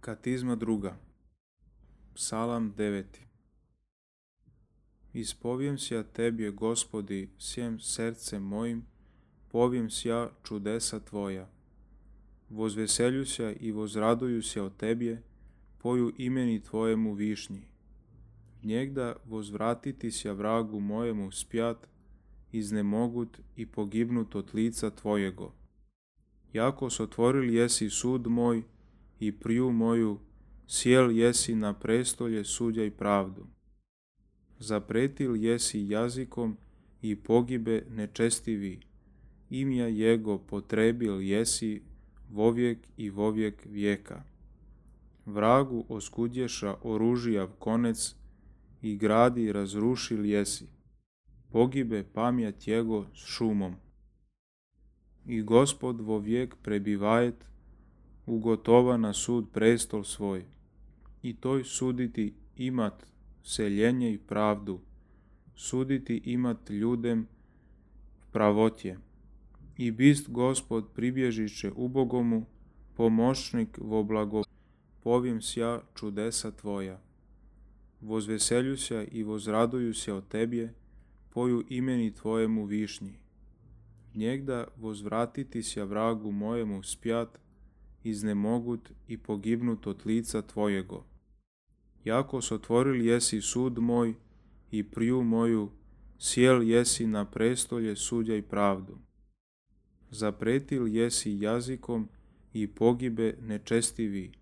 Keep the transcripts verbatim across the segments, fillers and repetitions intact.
Katizma druga. Psalam deveti. Ispovijem sja Tebje, Gospodi, svjem srcem mojim, povijem sja čudesa Tvoja. Vozveselju sja i vozraduju sja o Tebje, poju imeni Tvojemu višnji. Njegda vozvratiti sja vragu mojemu spjat, iznemogut i pogibnut od lica Tvojego. Jako sotvoril jesi sud moj i priju moju, sjel jesi na prestolje sudja i pravdu. Zapretil jesi jazikom i pogibe nečestivi, imja jego potrebil jesi vovijek i vovijek vijeka. Vragu oskudješa oružijav konec i gradi razrušil jesi, pogibe pamjat jego s šumom. I Gospod vovijek prebivajet, ugotova na sud prestol svoj, i toj suditi imat seljenje i pravdu, suditi imat ljudem pravotje. I bist Gospod pribježiše ubogomu, pomoćnik vo blago, povijem sja čudesa Tvoja. Vozveselju sja i vozraduju sja o Tebje, poju imeni Tvojemu višnji. Njegda vozvratiti sja vragu mojemu spjat, iznemogut i pogibnut od lica Tvojego. Jako sotvoril jesi sud moj i priju moju, sjel jesi na prestolje sudja i pravdu. Zapretil jesi jazikom i pogibe nečestivi,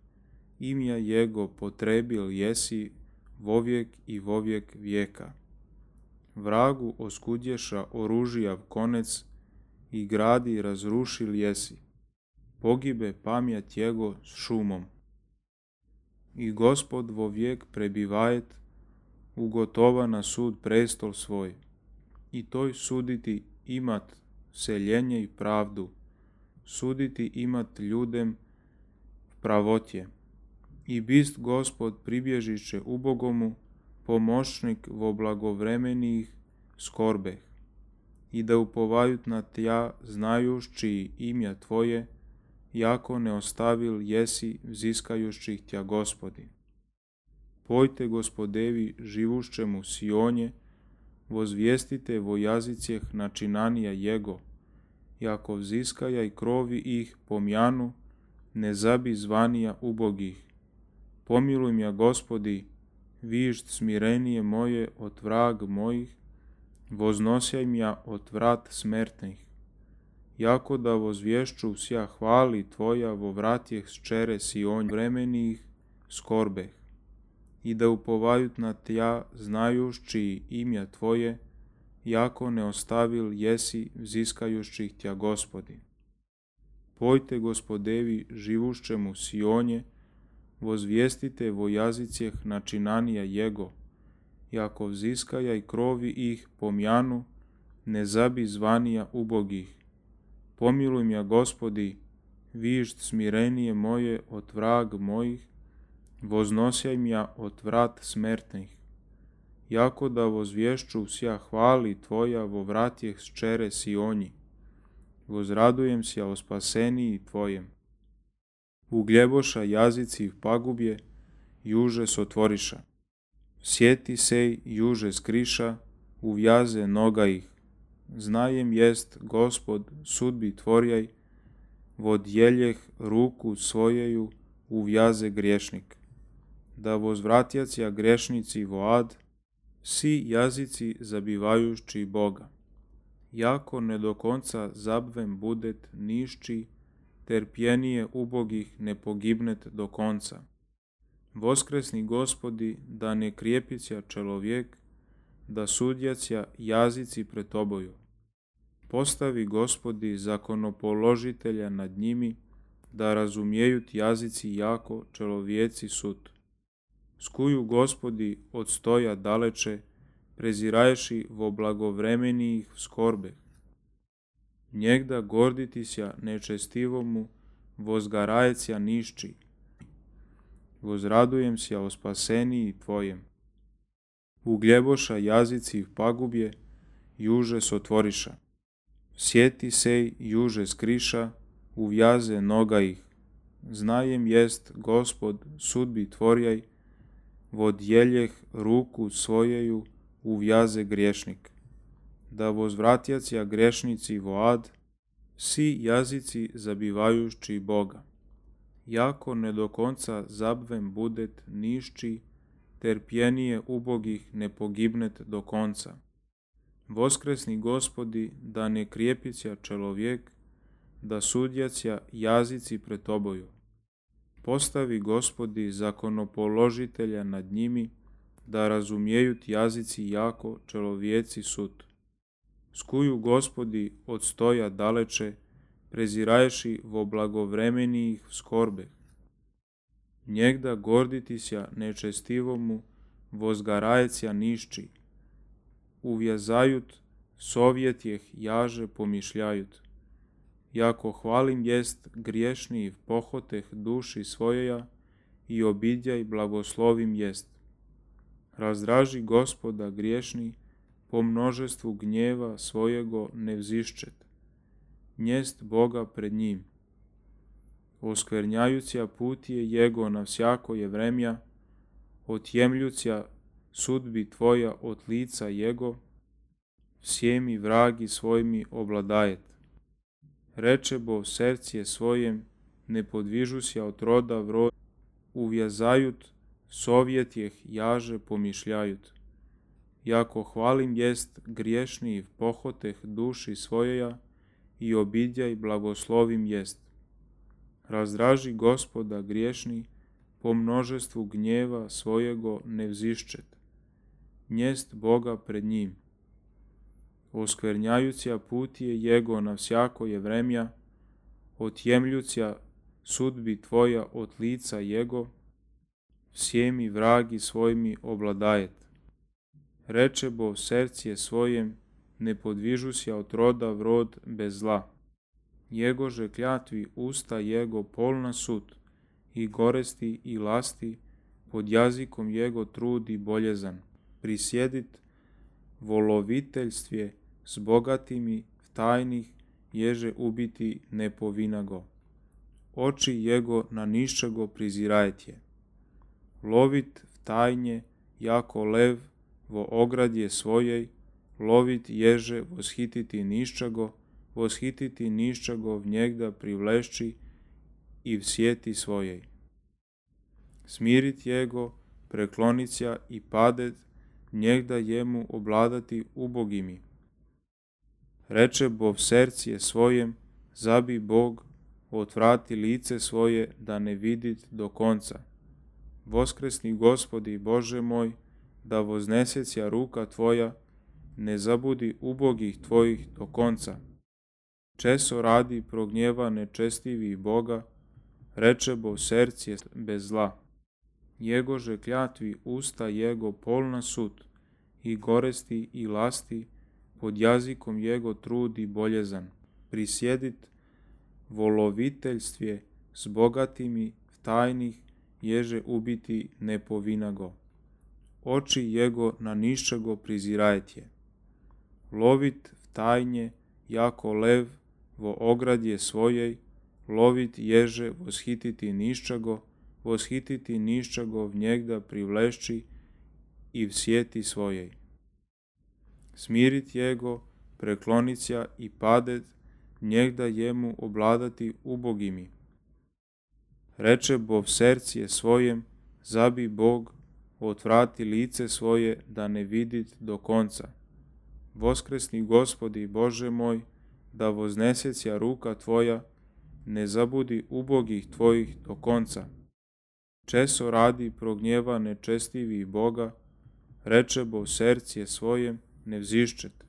imja jego potrebil jesi vovijek i vovijek vijeka. Vragu oskudješa oružijav konec i gradi razrušil jesi, pogibe pamjat jego s šumom. I Gospod vovijek prebivajet, ugotova na sud prestol svoj, i toj suditi imat seljenje i pravdu, suditi imat ljudem pravotje. I bist Gospod pribježiše ubogomu, pomoćnik vo blagovremenih skorbeh, i da upovajut na Tja znajući imja Tvoje, jako ne ostavil jesi vziskajućih Tja Gospodi. Pojte Gospodevi živušćemu Sionje, vozvijestite vo jazicjeh načinanija jego, jako vziskaja i krovi ih pomjanu, ne zabi zvanija ubogih. Pomiluj mja Gospodi, višt smirenije moje od vrag mojih, voznosjaj mja od vrat smertnih. Jako da vozvješću sja hvali Tvoja vo vratjeh ščere Sionj vremenih skorbeh, i da upovajut na Tja znajući imja Tvoje, jako ne ostavil jesi vziskajućih Tja Gospodi. Pojte Gospodevi živušćemu Sionje, vozvijestite vo jazicjeh načinanija jego, jako vziskaja i krovi ih pomjanu, ne zabi zvanija ubogih. Pomiluj mja Gospodi, višt smirenije moje od vrag mojih, voznosjaj mja od vrat smertnih. Jako da vozvješću sja hvali Tvoja vo vratjeh ščere Sionji, vozradujem sja o spaseniji Tvojem. Ugljeboša jazici pagubje, juže sotvoriša. Sjeti sej juže skriša, uvjaze noga ih. Znajem jest Gospod sudbi Tvorjaj, vodjeljeh ruku svojeju uvjaze griješnik. Da vozvratjacija grešnici vo ad, si jazici zabivajući Boga. Jako ne do konca zabvem budet nišći, terpjenije ubogih ne pogibnet do konca. Voskresni Gospodi, da ne krijepića čelovjek, da sudjacija jazici pred Toboju. Postavi Gospodi zakonopoložitelja nad njimi, da razumijejut jazici jako čelovjeci sud. Skuju Gospodi od stoja daleče, preziraješi vo blagovremenijih skorbe. Njegda gorditi sja nečestivomu, vozgarajecija nišći. Vozradujem sja o spaseniji Tvojem. Ugljeboša jazici pagubje, juže sotvoriša. Sjeti sej juže skriša, uvjaze noga ih. znajem jest, Gospod, sudbi tvorjaj, vodjeljeh ruku svojeju uvjaze griješnik, da vozvratjacija grešnici vo ad, si jazici zabivajući Boga. Jako ne do konca zabvem budet nišći, terpjenije ubogih ne pogibnet do konca. Voskresni Gospodi, da ne krijepića čelovjek, da sudjacija jazici pred Toboju. Postavi, Gospodi, zakonopoložitelja nad njimi, da razumijejut jazici jako čelovjeci sud. Skuju, Gospodi, od stoja daleče, preziraješi vo blagovremenijih skorbe. Njegda gorditися nečestivomu, vozgarajecija nišći, uvjazajut, sovjetjeh jaže pomišljajut. Jako hvalim jest griješni pohoteh duši svojeja i obidjaj blagoslovim jest. Razdraži Gospoda griješni, po množestvu gnjeva svojego ne vziščet. Njest Boga pred njim. Oskvernjajuća putije jego na vsjako je vremja, otjemljuća sudbi tvoja od lica jego, всеми vragi svojimi obladajet. Reče bo srcije svojem, ne podvižuся od roda v rod, uvjazajut, sovjetjeh jaže pomišljajut. Jako hvalim jest griješni pohoteh duši svojeja i obidjaj blagoslovim jest. Razdraži Gospoda griješni, po množestvu gnjeva svojego ne vziščet. Njest Boga pred njim. Oskvernjajuća putije jego na vsjako je vremja, otjemljuća sudbi tvoja od lica jego, всеми vragi svojimi obladajet. Reče bo srcije svojem, ne podvižuся od roda v rod bez zla. Jegože kljatvi usta jego polna sud, i goresti i lasti, pod jazikom jego trudi boljezan. Prisjedit voloviteljstvje s bogatimi tajnih ježe ubiti ne povinago. Oči jego na niščego prizirajtje. Lovit v tajnje jako lev vo ogradje svojej, lovit ježe voshititi niščego, voshititi niščego v njegda privlešći i v sjeti svojej. Smirit jego, preklonića i padet, njegda jemu obladati ubogimi. Reče bo v srcije svojem, zabi Bog, otvrati lice svoje da ne vidit do konca. Voskresni Gospodi Bože moj, da vozneseća ruka tvoja, ne zabudi ubogih tvojih do konca. Česo radi prognjeva nečestivi Boga, reče bo srcije bez zla. Jegože kljatvi usta jego polna sud, i goresti i lasti, pod jazikom jego trudi boljezan. Prisjedit voloviteljstvje s bogatimi v tajnih ježe ubiti ne povinago. Oči jego na niščego prizirajtje. Lovit v tajnje jako lev vo ogradje svojej, lovit ježe voshititi niščego, voshititi niščego v njegda privlešći i v sjeti svojej. Smirit jego, preklonića i padet, njegda jemu obladati ubogimi. Reče bo v srcije svojem, zabi Bog, otvrati lice svoje da ne vidit do konca. Voskresni Gospodi Bože moj, da vozneseća ruka tvoja, ne zabudi ubogih tvojih do konca. Česo radi prognjeva nečestivi Boga, reče bo srcije svojem, ne vziščet.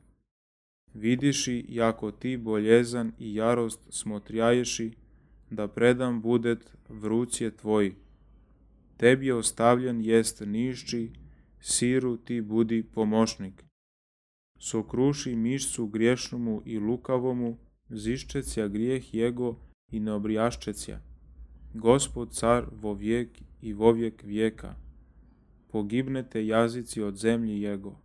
Vidiši jako ti boljezan i jarost smotrjaješi, da predam budet v rucije tvoji. Tebi ostavljen jest nišći, siru ti budi pomošnik. Sokruši mišcu griješnomu i lukavomu, ziščecija grijeh jego i ne obrijaščecija. Gospod car vo vijek i vo vijek vijeka. Pogibnete jazici od zemlji jego.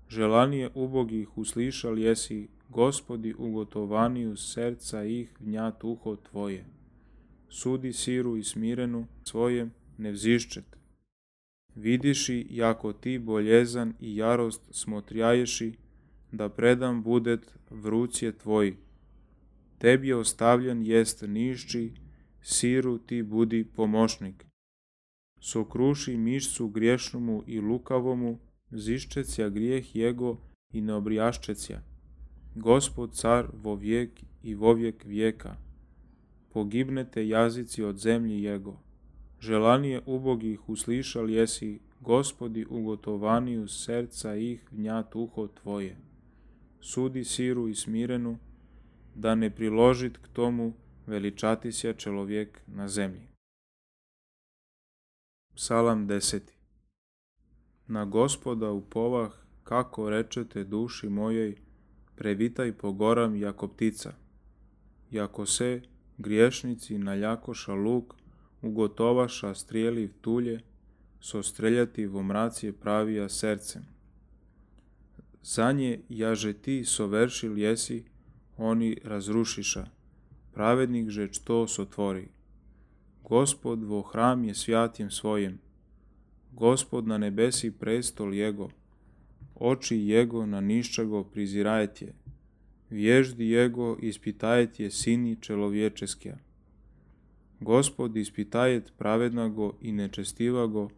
Želanije ubogih uslišal jesi, Gospodi ugotovaniju srca ih vnjat uho tvoje. sudi Siru i Smirenu svojem ne vzdišćet. Vidiši, jako ti boljezan i jarost smotrijaješi, da predam budet v rucije tvoji. Tebi je ostavljen jest nišći, Siru ti budi pomoćnik. Sokruši mišcu griješnomu i lukavomu, ziščecija grijeh jego i ne obrijaščecija. Gospod car vo vijek i vo vijek vijeka. Pogibnete jazici od zemlji jego. Želanije ubogih uslišal jesi, Gospodi ugotovaniju srca ih vnjat uho tvoje. Sudi Siru i Smirenu, da ne priložit k tomu veličati se čelovjek na zemlji. Psalam deseti. Na Gospoda upovah, kako rečete duši mojej, previtaj po goram jako ptica. Jako se griješnici naljakoša luk, ugotovaša strijeli tulje, so streljati vo mracije pravija srcem. Za nje jaže ti soveršil jesi, oni razrušiša, pravednik že što sotvori. Gospod vo hram je svjatjem svojem, Gospod na nebesi prestol jego, oči jego na niščego prizirajtje, vježdi jego ispitajtje sini čelovječeskja. Gospod ispitajet pravednago i nečestivago,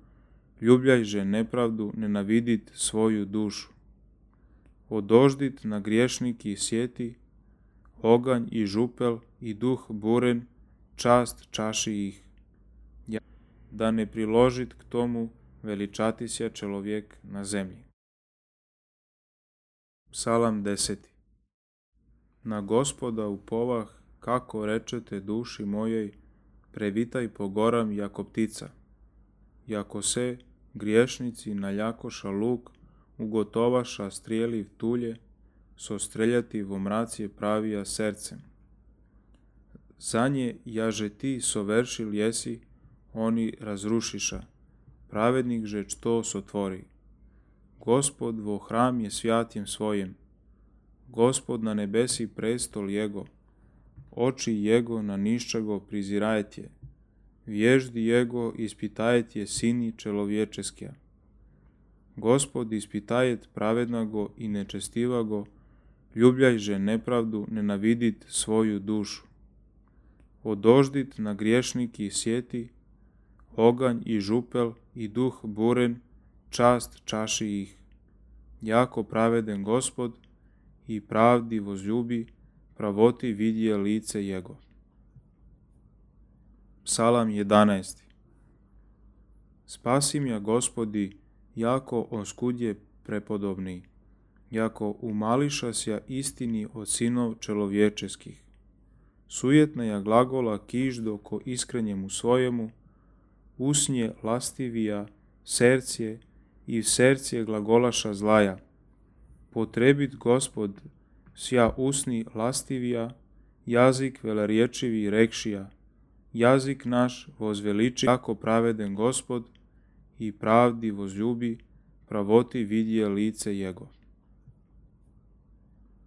ljubljajže nepravdu, nenavidit svoju dušu. Odoždit na griješniki sjeti, oganj i župel i duh buren, čast čaši ih. Da ne priložit k tomu veličati se čelovjek na zemlji. Psalam deseti. Na Gospoda upovah, kako rečete duši mojej, previtaj po goram jako ptica. Jako se griješnici naljakoša luk, ugotovaša strijeli tulje, so streljati vo mracije pravija srcem. Za nje jaže ti soveršil jesi, oni razrušiša, pravednik že što sotvori. Gospod vo hram je svjatjem svojem, Gospod na nebesi prestol jego, oči jego na niščego prizirajtje, vježdi jego ispitajet sini čelovječeskja. Gospod ispitajet pravednago i nečestivago, ljubljajže nepravdu, nenavidit svoju dušu. Odoždit na griješniki sjeti, oganj i župel i duh buren, čast čaši ih. Jako praveden Gospod i pravdi vozljubi, pravoti vidje lice jego. Psalam jedanaesti. Spasi mja Gospodi, jako oskudje prepodobni, jako umališa sja istini od sinov čelovječeskih. Sujetna ja glagola kiždo ko iskrenjemu svojemu, usnje lastivija, sercije i sercije glagolaša zlaja. Potrebit Gospod sja usni lastivija, jazik velerječivi rekšija, jazik naš vozveliči, jako praveden Gospod i pravdi vozljubi, pravoti vidje lice jego.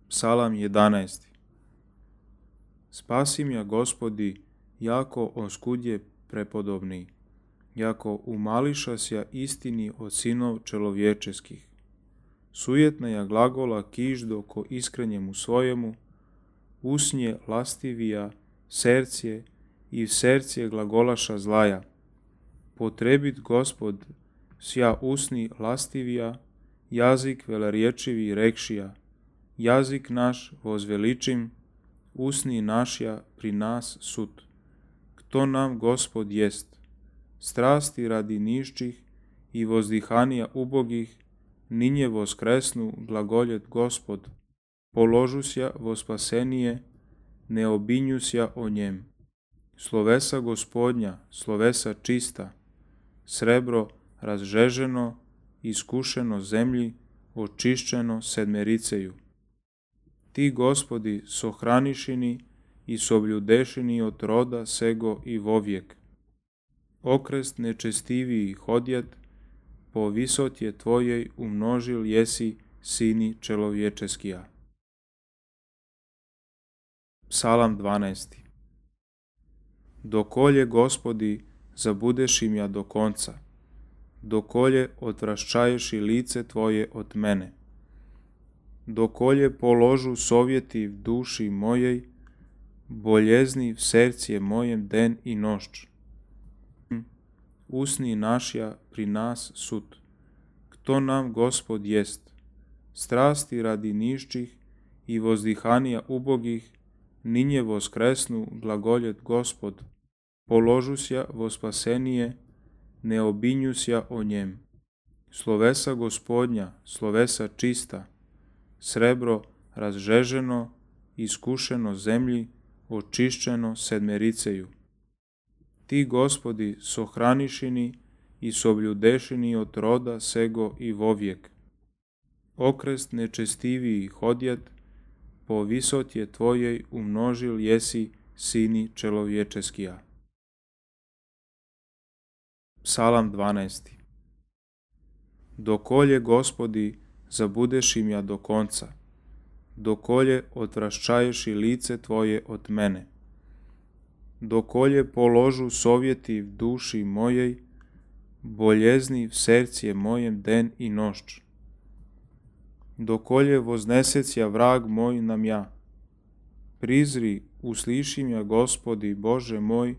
Psalam jedanaesti. Spasi mja Gospodi, jako oskudje prepodobni, jako umališa sja istini od sinov čelovječeskih. Sujetna ja glagola kiždo ko iskrenjemu svojemu, usnje lastivija, sercije i sercije glagolaša zlaja. Potrebit Gospod sja usni lastivija, jazik velerječivi rekšija, jazik naš vozveličim, usni našja pri nas sud. Kto nam Gospod jest? Strasti radi nišćih i vozdihanija ubogih, ninje voskresnu glagoljet Gospod, položusja vo spasenije, ne obinjusja o njem. Slovesa Gospodnja, slovesa čista, srebro razžeženo, iskušeno zemlji, očišćeno sedmericeju. Ti, Gospodi, sohranišini i sobljudešini od roda sego i vovijek. Okrest nečestiviji hodjet, po visotje tvojej umnožil jesi sini čelovječeskija. Psalam dvanaesti. Dokolje, Gospodi, zabudeš im ja do konca, dokolje odvraščaješ i lice Tvoje od mene, dokolje položu sovjeti v duši mojej, boljezni v sercije mojem den i nošč. Usni našja pri nas sud. Kto nam Gospod jest? Strasti radi nišćih i vozdihanija ubogih, ninje voskresnu glagoljet Gospod, položusja vo spasenije, ne obinjusja o njem. Slovesa Gospodnja, slovesa čista, srebro razžeženo, iskušeno zemlji, očišćeno sedmericeju. Ti, Gospodi, sohranišini i sobljudešini od roda sego i vovijek. Okrest nečestiviji hodjet, po visotje Tvojej umnožil jesi sini čelovječeskija. Psalam dvanaesti. Dokolje, Gospodi, zabudeš im ja do konca, dokolje odvraščaješ i lice Tvoje od mene, dokolje položu sovjeti v duši mojej, boljezni v sercije mojem den i nošč, dokolje voznesecja vrag moj nam ja. Prizri, uslišim ja, Gospodi, Bože moj,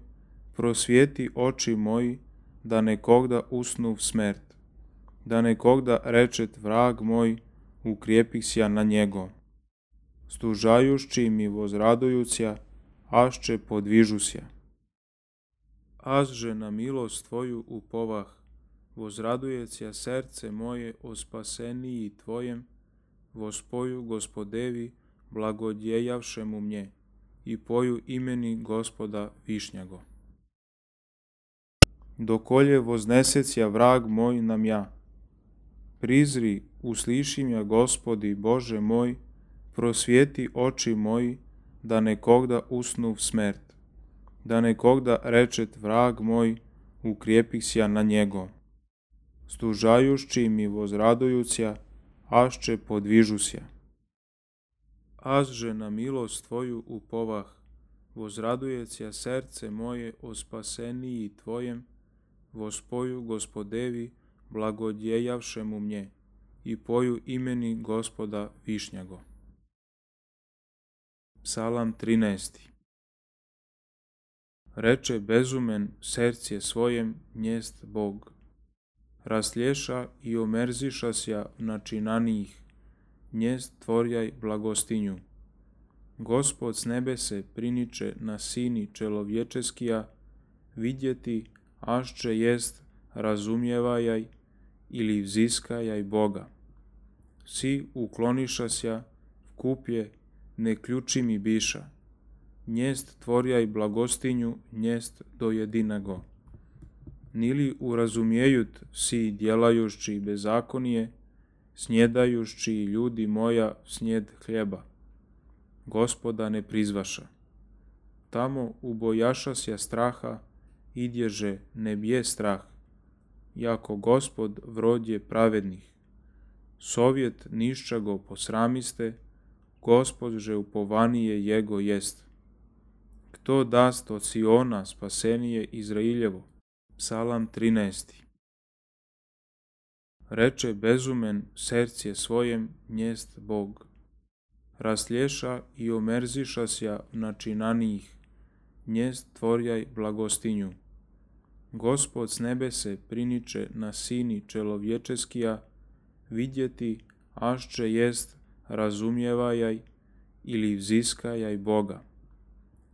prosvjeti oči moji, da nekogda usnu v smrt, da nekogda rečet vrag moj, ukrijepih sja na njego. Stužajušći mi vozradujuća, ašće podvižusja. Azže na milost Tvoju upovah, vozradujecja serce moje o spaseniji Tvojem, vospoju Gospodevi, blagodjejavšemu mnje, i poju imeni Gospoda Višnjago. Dokolje voznesecja vrag moj nam ja. Prizri, uslišim ja, Gospodi, Bože moj, prosvjeti oči moji, da nekogda usnu v smrt, da nekogda rečet vrag moj, ukrijepih sja na njego. Stužajušći mi vozradujuća, ašće podvižusja. Azže na milost Tvoju upovah, vozradujecja serce moje o spaseniji Tvojem, vospoju Gospodevi, blagodjejavšemu mnje, i poju imeni Gospoda Višnjago. Psalam trinaesti. Reče bezumen sercije svojem njest Bog. Raslješa i omerzišasja načinanijih, njest tvorjaj blagostinju. Gospod s nebese priniče na sini čelovječeskija, vidjeti ašće jest razumjevajaj ili vziskajaj Boga. Si uklonišasja, vkupje, ne ključi mi biša, njest tvorjaj blagostinju, njest do jedinago. Nili urazumijejut si djelajušći bezakonije, snjedajušći ljudi moja snjed hljeba. Gospoda ne prizvaša. Tamo ubojašasja straha, idježe ne bije strah, jako Gospod vrodje pravednih. Sovjet nišćago posramiste, Gospod že upovanije jego jest. Kto dast od Siona spasenije Izrailjevo? Psalam trinaesti. Reče bezumen sercije svojem njest Bog. Raslješa i omerzišasja načinanijih, njest tvorjaj blagostinju. Gospod s nebese priniče na sini čelovječeskija, vidjeti ašće jest razumjevajaj ili vziskajaj Boga.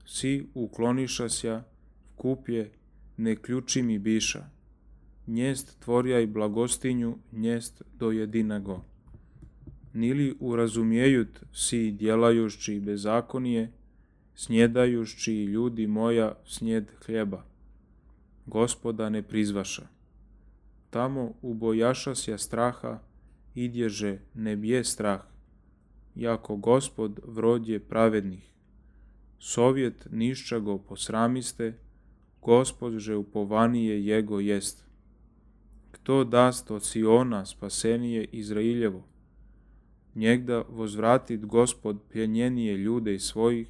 Si uklonišasja, vkupje, ne ključi mi biša, njest tvorjaj blagostinju, njest do jedinago. Nili urazumijejut si djelajušći bezakonije, snjedajušći ljudi moja snjed hljeba. Gospoda ne prizvaša. Tamo ubojašasja straha, idježe ne bije strah, jako Gospod vrodje pravednih. Sovjet nišćago posramiste, Gospod že upovanije jego jest. Kto dast od Siona spasenije Izrailjevo? Njegda vozvratit Gospod pljenjenije ljude svojih,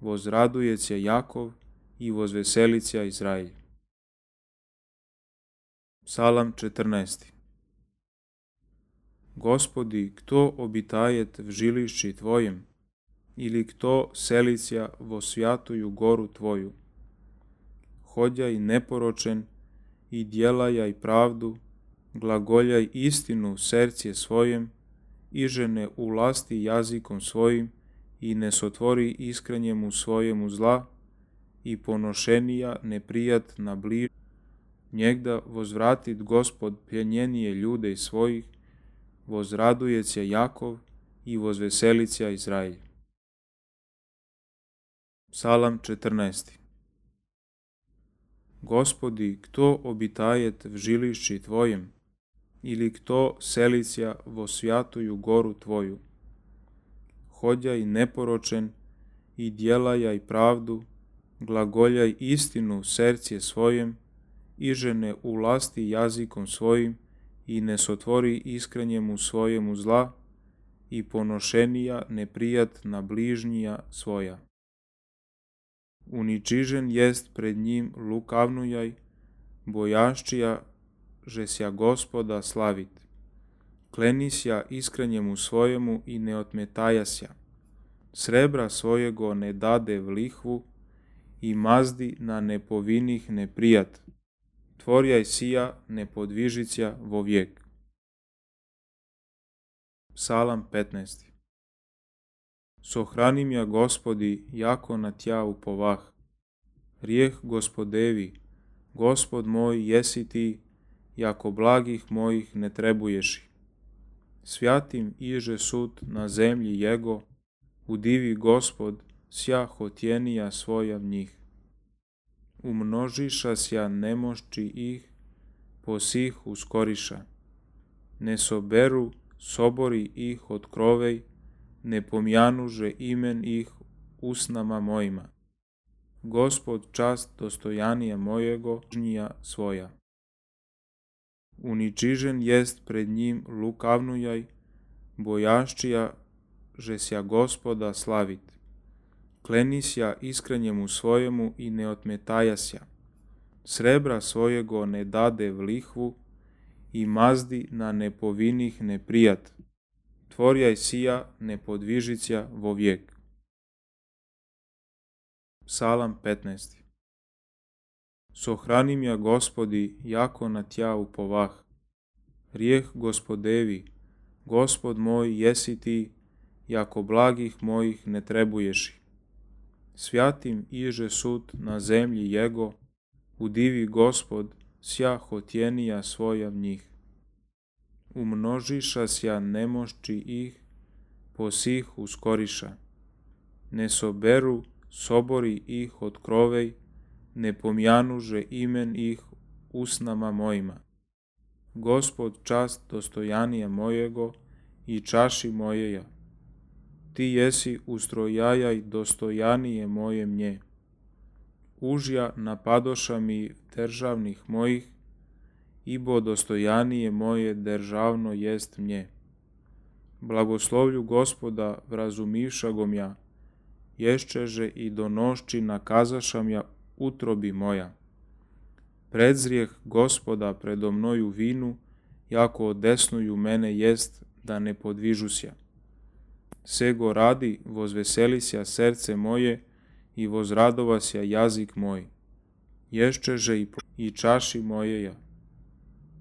vozradujecija Jakov i vozveselića Izraelj. Psalam četrnaesti. Gospodi, kto obitajet v žilišći Tvojem, ili kto selića vo svjatuju goru Tvoju? Hodjaj neporočen i djelajaj pravdu, glagoljaj istinu sercije svojem, iže ne ulasti jazikom svojim i ne sotvori iskrenjemu svojemu zla, i ponošenija neprijat na bliž, njegda vozvratit Gospod pljenjenije ljude svojih, vozradujeća Jakov i vozveselića Izraelj. Psalam četrnaesti. Gospodi, kto obitajet v žilišći Tvojem, ili kto selića vo svjatuju goru Tvoju? Hodjaj neporočen i djelajaj pravdu, glagoljaj istinu sercije svojem, iže ne ulasti jazikom svojim i ne sotvori iskrenjemu svojemu zla, i ponošenija neprijat na bližnjija svoja. Uničižen jest pred njim lukavnujaj, bojaščija žesja Gospoda slavit. Klenisja iskrenjemu svojemu i ne otmetajasja. Srebra svojego ne dade v lihvu i mazdi na nepovinih neprijat. Tvorjaj sija nepodvižića vo vijek. Psalam petnaesti. Sohranim ja Gospodi, jako na Tja upovah. Rijeh Gospodevi, Gospod moj jesi Ti, jako blagih mojih ne trebuješi. Svjatim iže sud na zemlji Jego, udivi Gospod sja hotjenija svoja v njih. Umnožiša sja nemošći ih, posih uskoriša. Ne soberu sobori ih od krovej, ne pomjanuže imen ih usnama mojima. Gospod čast dostojanija mojego, žnija svoja. Uničižen jest pred njim lukavnujaj, bojaščija žesja Gospoda slavit. Klenisja iskrenjemu svojemu i ne otmetajasja. Srebra svojego ne dade v lihvu i mazdi na nepovinih neprijat. Tvorjaj sija nepodvižića vo vijek. Psalam petnaesti. Sohranim ja Gospodi, jako na Tja upovah. Rijeh Gospodevi, Gospod moj jesi Ti, jako blagih mojih ne trebuješi. Svjatim iže sud na zemlji Jego, udivi Gospod sja hotjenija svoja v njih. Umnožiša sja nemošći ih, posih uskoriša. Ne soberu sobori ih od krovej, ne pomjanuže imen ih usnama mojima. Gospod čast dostojanija mojego i čaši mojeja. Ti jesi ustrojajaj dostojanije moje mnje. Užja napadoša mi državnih mojih, ibo dostojanije moje državno jest mnje. Blagoslovlju Gospoda vrazumivšagom ja, ješćeže i donošći nakazašam ja utrobi moja. Predzrijeh Gospoda predo mnoju vinu, jako odesnuju mene jest da ne podvižusja. Sego radi vozveselisja srce moje i vozradovasja jazik moj. Ješćeže i, i čaši mojeja.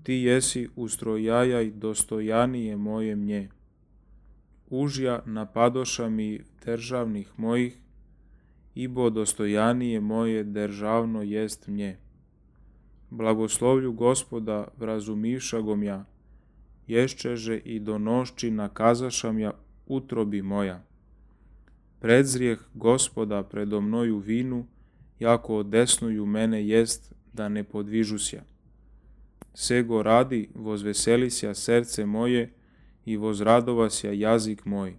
Ti jesi ustrojajaj dostojanije moje mnje. Užja napadoša mi državnih mojih, ibo dostojanije moje državno jest mnje. Blagoslovlju Gospoda vrazumivšagom ja, ješćeže i donošći nakazašam ja utrobi moja. Predzrijeh Gospoda predo mnoju vinu, jako odesnuju mene jest da ne podvižusja. Sego radi vozveselisja srce moje i vozradovasja jazik moj.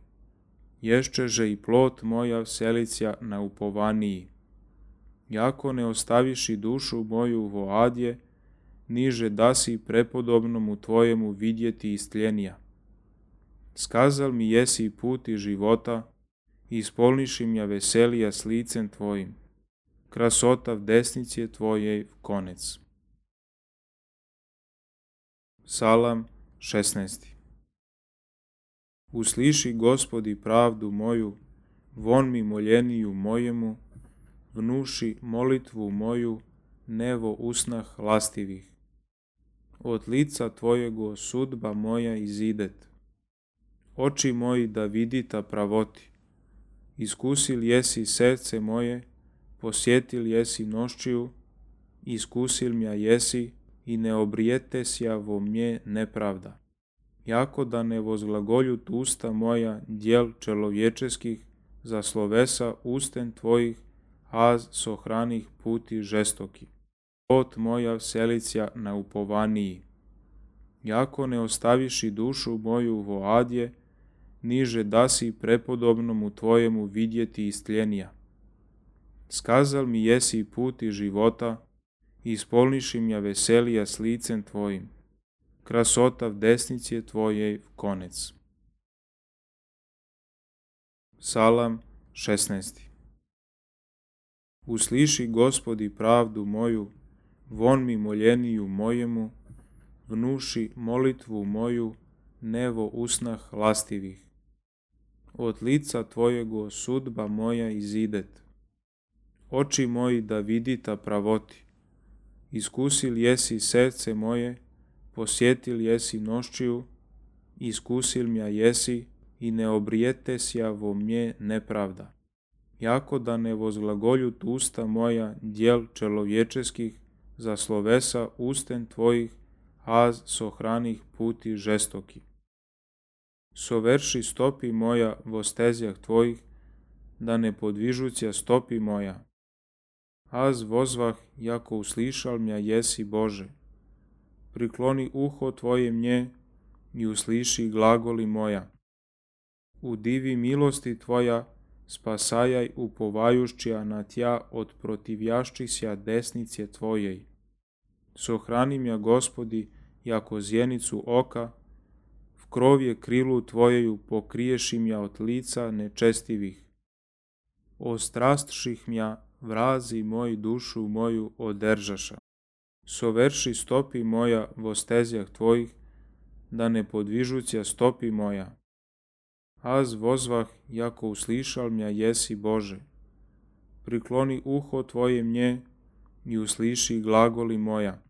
Ješćeže i plot moja vselicija na upovaniji. Jako ne ostaviši dušu moju vo adje, niže dasi prepodobnomu Tvojemu vidjeti istljenija. Skazal mi jesi put i života, i ispolniši mja veselija s licem Tvojim. krasota v desnici tvojej konec. Psalam šesnaesti. Usliši, Gospodi, pravdu moju, von mi moljeniju mojemu, vnuši molitvu moju, nevo usnah lastivih. Od lica tvojego sudba moja izidet. Oči moji da vidita pravoti. Iskusil jesi srce moje, posjetil jesi noščiju, iskusil mja jesi i ne obrijetesja vo mnje nepravda. Jako da ne vozglagoljut usta moja djel čelovječeskih, za slovesa usten tvojih, az sohranih puti žestoki. Pot moja vselicija na upovaniji. Jako ne ostaviši dušu moju vo adje, niže dasi prepodobnomu tvojemu vidjeti istljenija. Skazal mi jesi puti života, ispolniši mja veselija s licem tvojim. Krasota v desnici tvojej konec. Psalam šesnaesti. Usliši, Gospodi, pravdu moju, von mi moljeniju mojemu, vnuši molitvu moju, nevo usnah lastivih. Od lica tvojego sudba moja izidet. Oči moji da vidita pravoti. Iskusil jesi srce moje, posjetil jesi noščiju, iskusil mja jesi i ne obrijetesja vo mnje nepravda. Jako da ne vozglagoljut usta moja djel čelovječeskih, za slovesa usten tvojih, az sohranih puti žestoki. Soverši stopi moja vo stezjah tvojih, da ne podvižuća stopi moja. Az vozvah, jako uslišal mja jesi Bože. Prikloni uho tvoje mnje i usliši glagoli moja. U divi milosti tvoja spasajaj upovajušća na tja od protivjašćisja desnice tvojej. Sohrani mja, Gospodi, jako zjenicu oka, v krovje krilu tvojeju pokriješi mja od lica nečestivih. Ostrastših mja, vrazi moj dušu moju održaša. Soverši stopi moja vo stezjah tvojih, da ne podvižuća stopi moja. Az vozvah, jako uslišal mja jesi Bože. Prikloni uho tvoje mnje i usliši glagoli moja.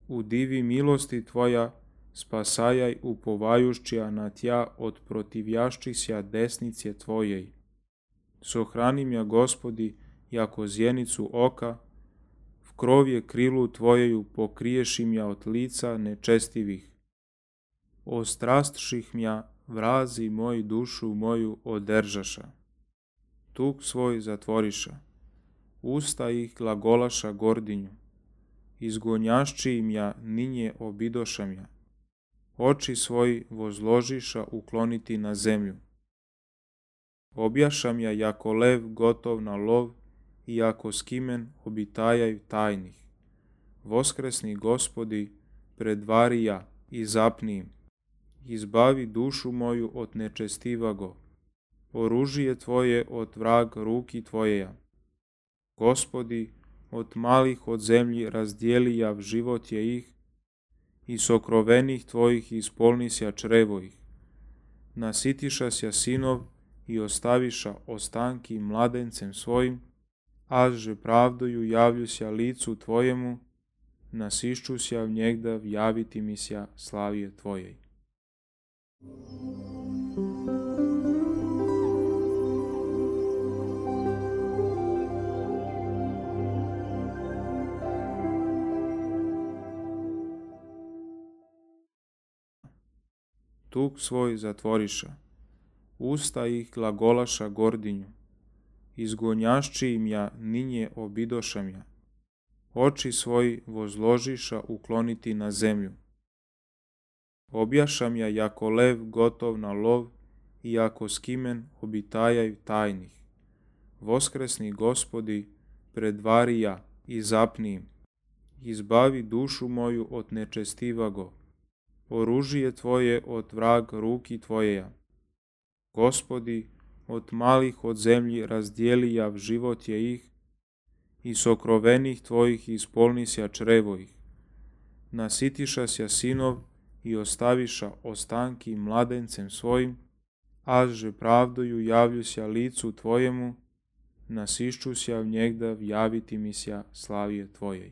U divi milosti tvoja spasajaj upovajušća na tja od protivjašćisja desnice tvojej. Sohrani mja, Gospodi, jako zjenicu oka, v krovje krilu tvojeju pokriješi mja od lica nečestivih. Ostrastših mja, vrazi moj dušu moju održaša. Tuk svoj zatvoriša, usta ih glagolaša gordinju, izgonjašći im ja ninje obidoša mja, oči svoji vozložiša ukloniti na zemlju. Objašam ja jako lev gotov na lov i jako skimen obitajaj tajnih. Voskresni, Gospodi, predvari ja i zapni im. Izbavi dušu moju od nečestivago. Oružije tvoje od vrag ruki tvojeja. Gospodi, od malih od zemlji razdijeli ja v život je ih i sokrovenih tvojih ispolnisja črevo ih. Nasitiša sja sinov i ostaviša ostanki mladencem svojim, aže pravdoju javljusja licu tvojemu, nasišćusja v njegda vjaviti mi sja slavije tvojej. Tuk svoj zatvoriša, usta ih glagolaša gordinju, izgonjašći im ja ninje obidošam ja, oči svoji vozložiša ukloniti na zemlju. Objašam ja jako lev gotov na lov i jako skimen obitajaj tajnih. Voskresni, Gospodi, predvari ja i zapni im. Izbavi dušu moju od nečestivago. Oružije tvoje od vrag ruki tvojeja. Gospodi, od malih od zemlji razdijeli ja v život je ih i sokrovenih tvojih ispolnisja črevo ih. Nasitiša sja sinov i ostaviša ostanki mladencem svojim, aže pravdoju javljuся licu tvojemu, nasišćuся v njegda javiti mi sja slavije tvojej.